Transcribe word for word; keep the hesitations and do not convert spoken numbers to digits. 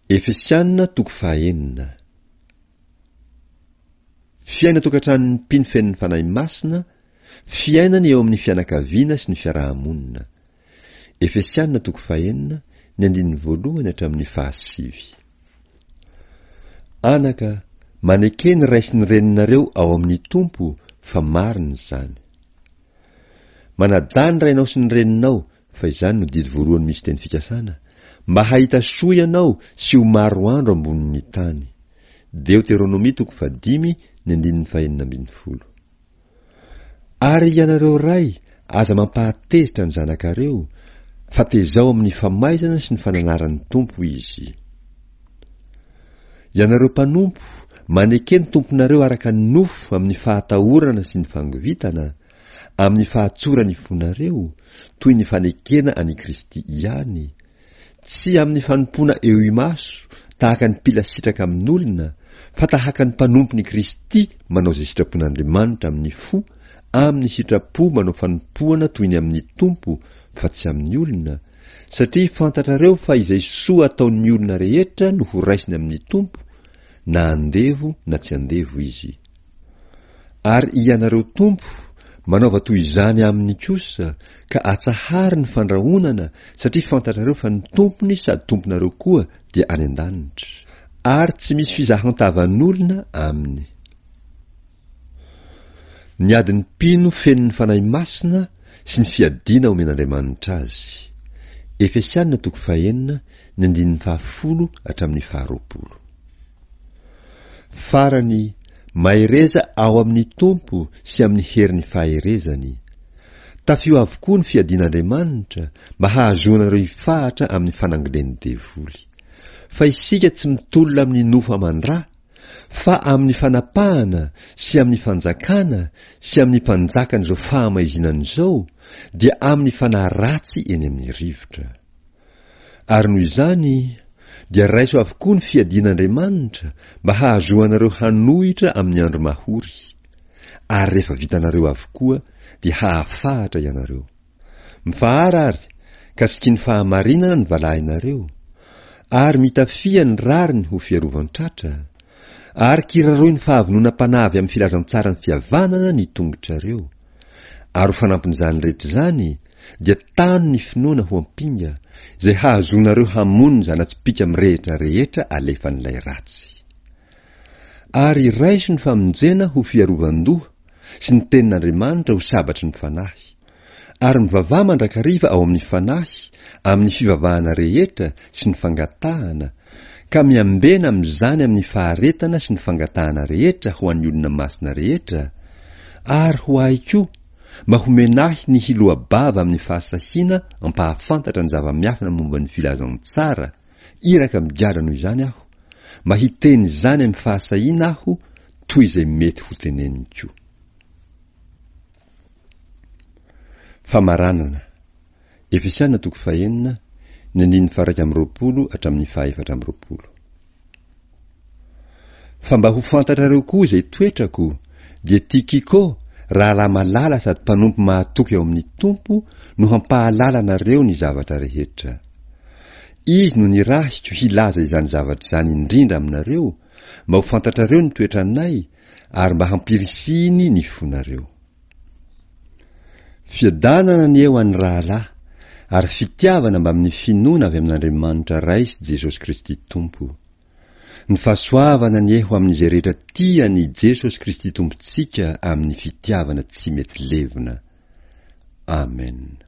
Efesiana toko fahaenina. Fiainan-tokantranon'ny mpino feno ny Fanahy Masina, fiainany eo amin'ny fianakaviana sy ny fiaraha-monina. Efesiana toko fahenina, ny andininy voalohany hatramin'ny fahasivy. Anaka, maneke ny ray sy ny reninareo ao amin'ny Tompo fa marina izany. Manajà ny rainao sy ny reninao fa izany no didy voalohany misy teny fikasana, mba hahita soa ianao sy ho maro andro ambonin'ny tany. Deoteronomia toko fahadimy, ny andininy fahenina ambin'ny folo. Ary ianareo ray, aza mampahatezitra ny zanakareo, fa tezao amin'ny famaizana sy ny fananaran'ny Tompo izy. Ianareo mpanompo, maneke ny tomponareo araka ny nofo amin'ny fahatahorana sy ny fangovitana, amin'ny fahatsoran'ny fonareo, toy ny fanekena an'i Kristy ihany, tsy amin'ny fanompoana eo imaso tahaka ny mpila sitraka amin'olona, fa tahaka ny mpanompon'i Kristy manao izay sitrapon'Andriamanitra amin'ny fo, amin'ny sitrapo manao fanompoana toy ny amin'ny Tompo fa tsy amin'ny olona, satria fantatrareo fa izay soa ataon'ny olona rehetra no horaisiny amin'ny Tompo, na andevo na tsy andevo izy. Ary ianareo Tompo, manaova toy izany aminy kosa, ka atsahary ny fandrahonana, satria fantatrareo fa ny Tompony sady Tomponareo koa dia any an-danitra, ary tsy misy fizahan-tavan'olona aminy. Ny adin'ny mpino feno ny Fanahy Masina sy ny fiadiana omen'Andriamanitra azy. Efesiana toko fahenina, ny andininy fahafolo hatramin'ny faharoapolo. Farany, mahereza ao amin'ny Tompo sy amin'ny herin'ny faherezany. Tafio avokoa ny fiadian'Andriamanitra mba hahazoanareo hifahatra amin'ny fanangolen'ny devoly. Fa isika tsy mitolona amin'ny nofo aman-dra, fa amin'ny fanapahana sy amin'ny fanjakana sy amin'ny mpanjakan'izao fahamaizinana izao, dia amin'ny fanahy ratsy eny amin'ny rivotra. Ary noho izany, dia raiso avokoa ny fiadian'Andriamanitra mba hahazoanareo hanohitra amin'ny andro mahory, ary rehefa vitanareo avokoa dia hahafahatra ianareo. Mifahara ary, ka sikin'ny fahamarinana ny valahinareo, ary mitafia ny rariny ho fiarovan-tratra, ary kiraroy ny fahavononam-panahy avy amin'ny filazantsaran'ny fihavanana ny tongotrareo. Ary ho fanampin'izany rehetra izany, dia tano ny finoana ho ampinga, izay hahazoanareo hamono ny zana-tsipìka mirehitra rehetra alefan'ilay ratsy. Ary raiso ny famonjena ho fiarovan-doha sy ny tenin'Andriamanitra ho sabatry ny fanahy. Ary mivavaha mandrakariva ao amin'ny fanahy, amin'ny fivavahana rehetra sy ny fangatahana, ka miambena amin'izany amin'ny faharetana sy ny fangatahana rehetra ho an'ny olona masina rehetra, ary ho ahy koa, mba homena ahy ny hiloa-bava amin'ny fahasahiana ampahafantatra ny zava-miafina momba ny filazantsara, iraka migadra noho izany aho, mba hiteny izany amin'ny fahasahiana aho toy izay mety hoteneniko. Famaranana. Efesiana toko fahenina, ny andininy faha-iraika amby roapolo hatramin'ny faha-efatra amby roapolo. Fa mba ho fantatrareo koa izay toetrako, dia Tykiko, rahalahy malala sady mpanompo mahatoky ao amin'ny Tompo, no hampahalala anareo ny zavatra rehetra. Izy no nirahiko hilaza izany zavatra izany indrindra aminareo, mba ho fantatrareo ny toetranay, ary mba hampirisihiny ny fonareo. Fiadanana anie ho an'ny rahalahy, ary fitiavana mbamin'ny finoana avy amin'Andriamanitra Ray sy Jesosy Kristy Tompo. Ny fahasoavana anie ho amin'izay rehetra tia an'i Jesosy Kristy Tompontsika amin'ny fitiavana tsy mety levona. Amen.